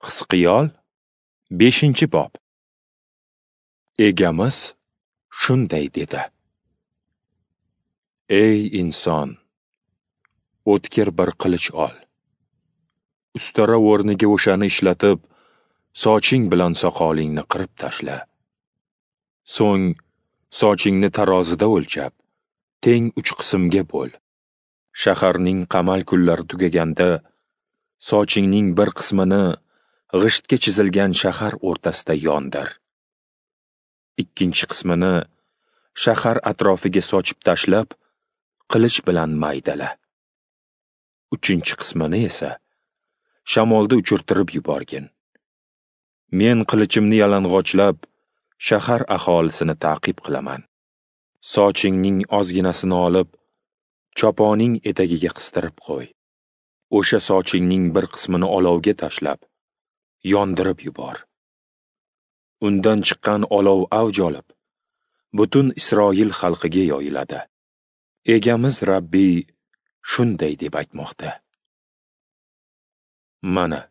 Hizqiyol 5-bob. Egamiz shunday dedi: Ey inson, o'tkir bir qilich ol. Ustara o'rniga o'shani ishlatib, soching bilan soqolingni qirib tashla. So'ng sochingni tarozida o'lchab, teng 3 qismga bo'l. Shaharning qamal kunlari tugaganda, sochingning bir qismini g'ishtga chizilgan shahar o'rtasida yondir. Ikkinchi qismini shahar atrofiga sochib tashlab, qilich bilan maydala. Uchinchi qismini esa shamolda uchirtirib yuborgin. Men qilichimni yalang'ochlab, shahar aholisini ta'qib qilaman. Sochingning ozginasini olib, choponing etagiga qistirib qo'y. O'sha sochingning bir qismini olovga tashlab, yondirib yubor. Undan chiqqan olov avj olib, butun Isroil xalqiga yoyiladi. Egamiz Rabbiy shunday deb aytmoqda: Mana,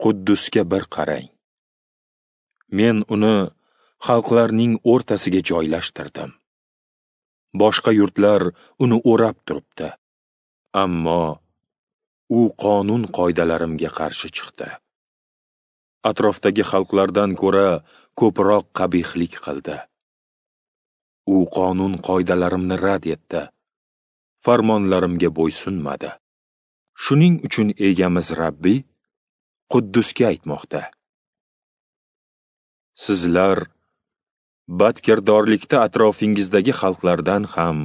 Quddusga bir qarang. Men uni xalqlarning o'rtasiga joylashtirdim. Boshqa yurtlar uni o'rab turibdi. Ammo u qonun qoidalarimga qarshi chiqdi. Atrofdagi xalqlardan ko'ra ko'proq qabihlik qildi. U qonun qoidalarimni rad etdi, farmonlarimga bo'ysunmadi. Shuning uchun egamiz Rabbiy Quddusga aytmoqda: Sizlar badkirdorlikda atrofingizdagi xalqlardan ham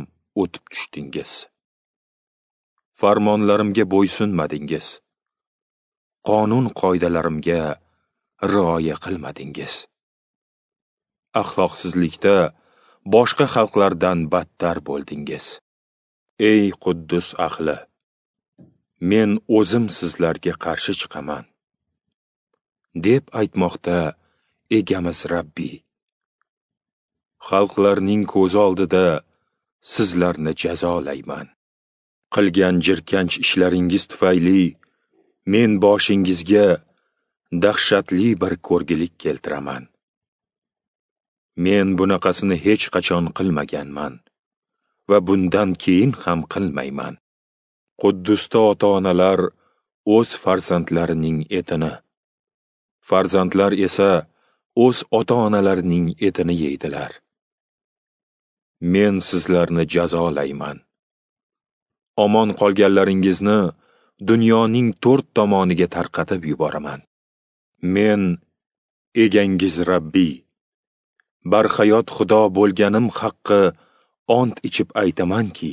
o'tib tushdingiz. Farmonlarimga bo'ysunmadingiz. Qonun qoidalarimga rioya qilmadingiz. Axloqsizlikda boshqa xalqlardan battar bo'ldingiz. Ey Quddus ahli, men o'zim sizlarga qarshi chiqaman, deb aytmoqda egamiz Rabbiy. Xalqlarning ko'zi oldida sizlarni jazolayman. Qilgan jirkanch ishlaringiz tufayli men boshingizga dahshatli bir ko'rgilik keltiraman. Men bunaqasini hech qachon qilmaganman va bundan keyin ham qilmayman. Quddusda ota-onalar o'z farzandlarining etini, farzandlar esa o'z ota-onalarining etini yeydilar. Men sizlarni jazolayman. Omon qolganlaringizni dunyoning 4 tomoniga tarqatib yuboraman. Men egangiz Rabbiy, barhayot Xudo bo'lganim haqqi ont ichib aytamanki,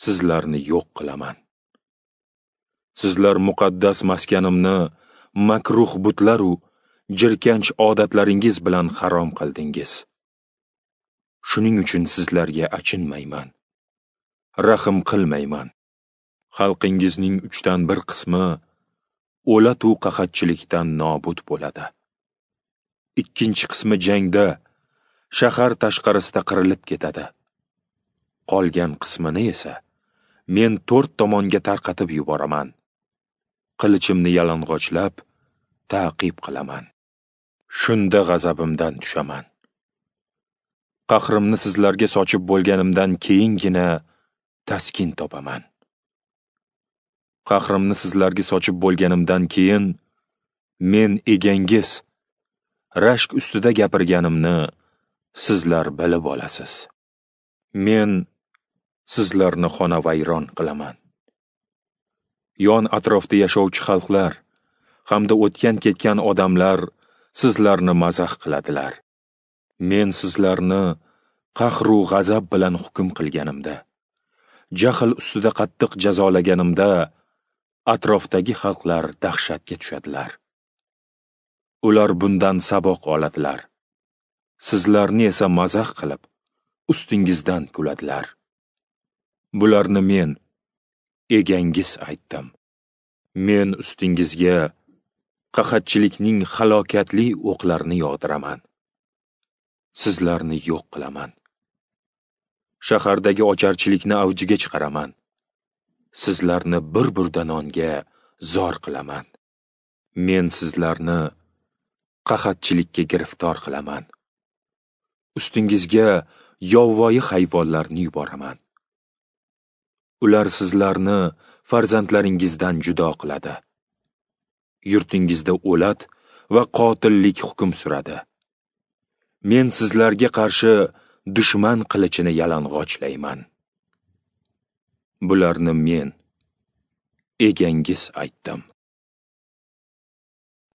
sizlarni yo'q qilaman. Sizlar muqaddas maskanimni makruh butlar u jirkanch odatlaringiz bilan harom qildingiz. Shuning uchun sizlarga achinmayman, rahm qilmayman. Xalqingizning 1/3 qismi o'latu qahatchilikdan nobud bo'ladi. Ikkinchi qismi jangda, shahar tashqarisida qirilib ketadi. Qolgan qismini esa men 4 tomonga tarqatib yuboraman. Qilichimni yalang'ochlab ta'qib qilaman. Shunda g'azabimdan tushaman. Qahrimni sizlarga sochib bo'lganimdan keyingina taskin topaman. Qahrimni sizlarga sochib bo'lganimdan keyin men egangiz rashk ustida gapirganimni sizlar bilib olasiz. Men sizlarni xonavayron qilaman. Yon atrofda yashovchi xalqlar hamda o'tgan-ketgan odamlar sizlarni mazax qiladilar. Men sizlarni qahru g'azab bilan hukm qilganimda, jahl ustida qattiq jazolaganimda atrofdagi xalqlar dahshatga tushadilar. Ular bundan saboq oladilar. Sizlarni esa mazax qilib, ustingizdan kuladilar. Bularni men, egangiz aytdim. Men ustingizga qahatchilikning halokatli o'qlarini yog'diraman. Sizlarni yo'q qilaman. Shahardagi ocharchilikni avjiga chiqaraman. Sizlarni bir burda nonga zor qilaman. Men sizlarni qahatchilikka giriftor qilaman. Ustingizga yovvoyi hayvonlarni yuboraman. Ular sizlarni farzandlaringizdan judo qiladi. Yurtingizda o'lat va qotillik hukm suradi. Men sizlarga qarshi dushman qilichini yalang'ochlayman. Bularni men, egangiz aytdim.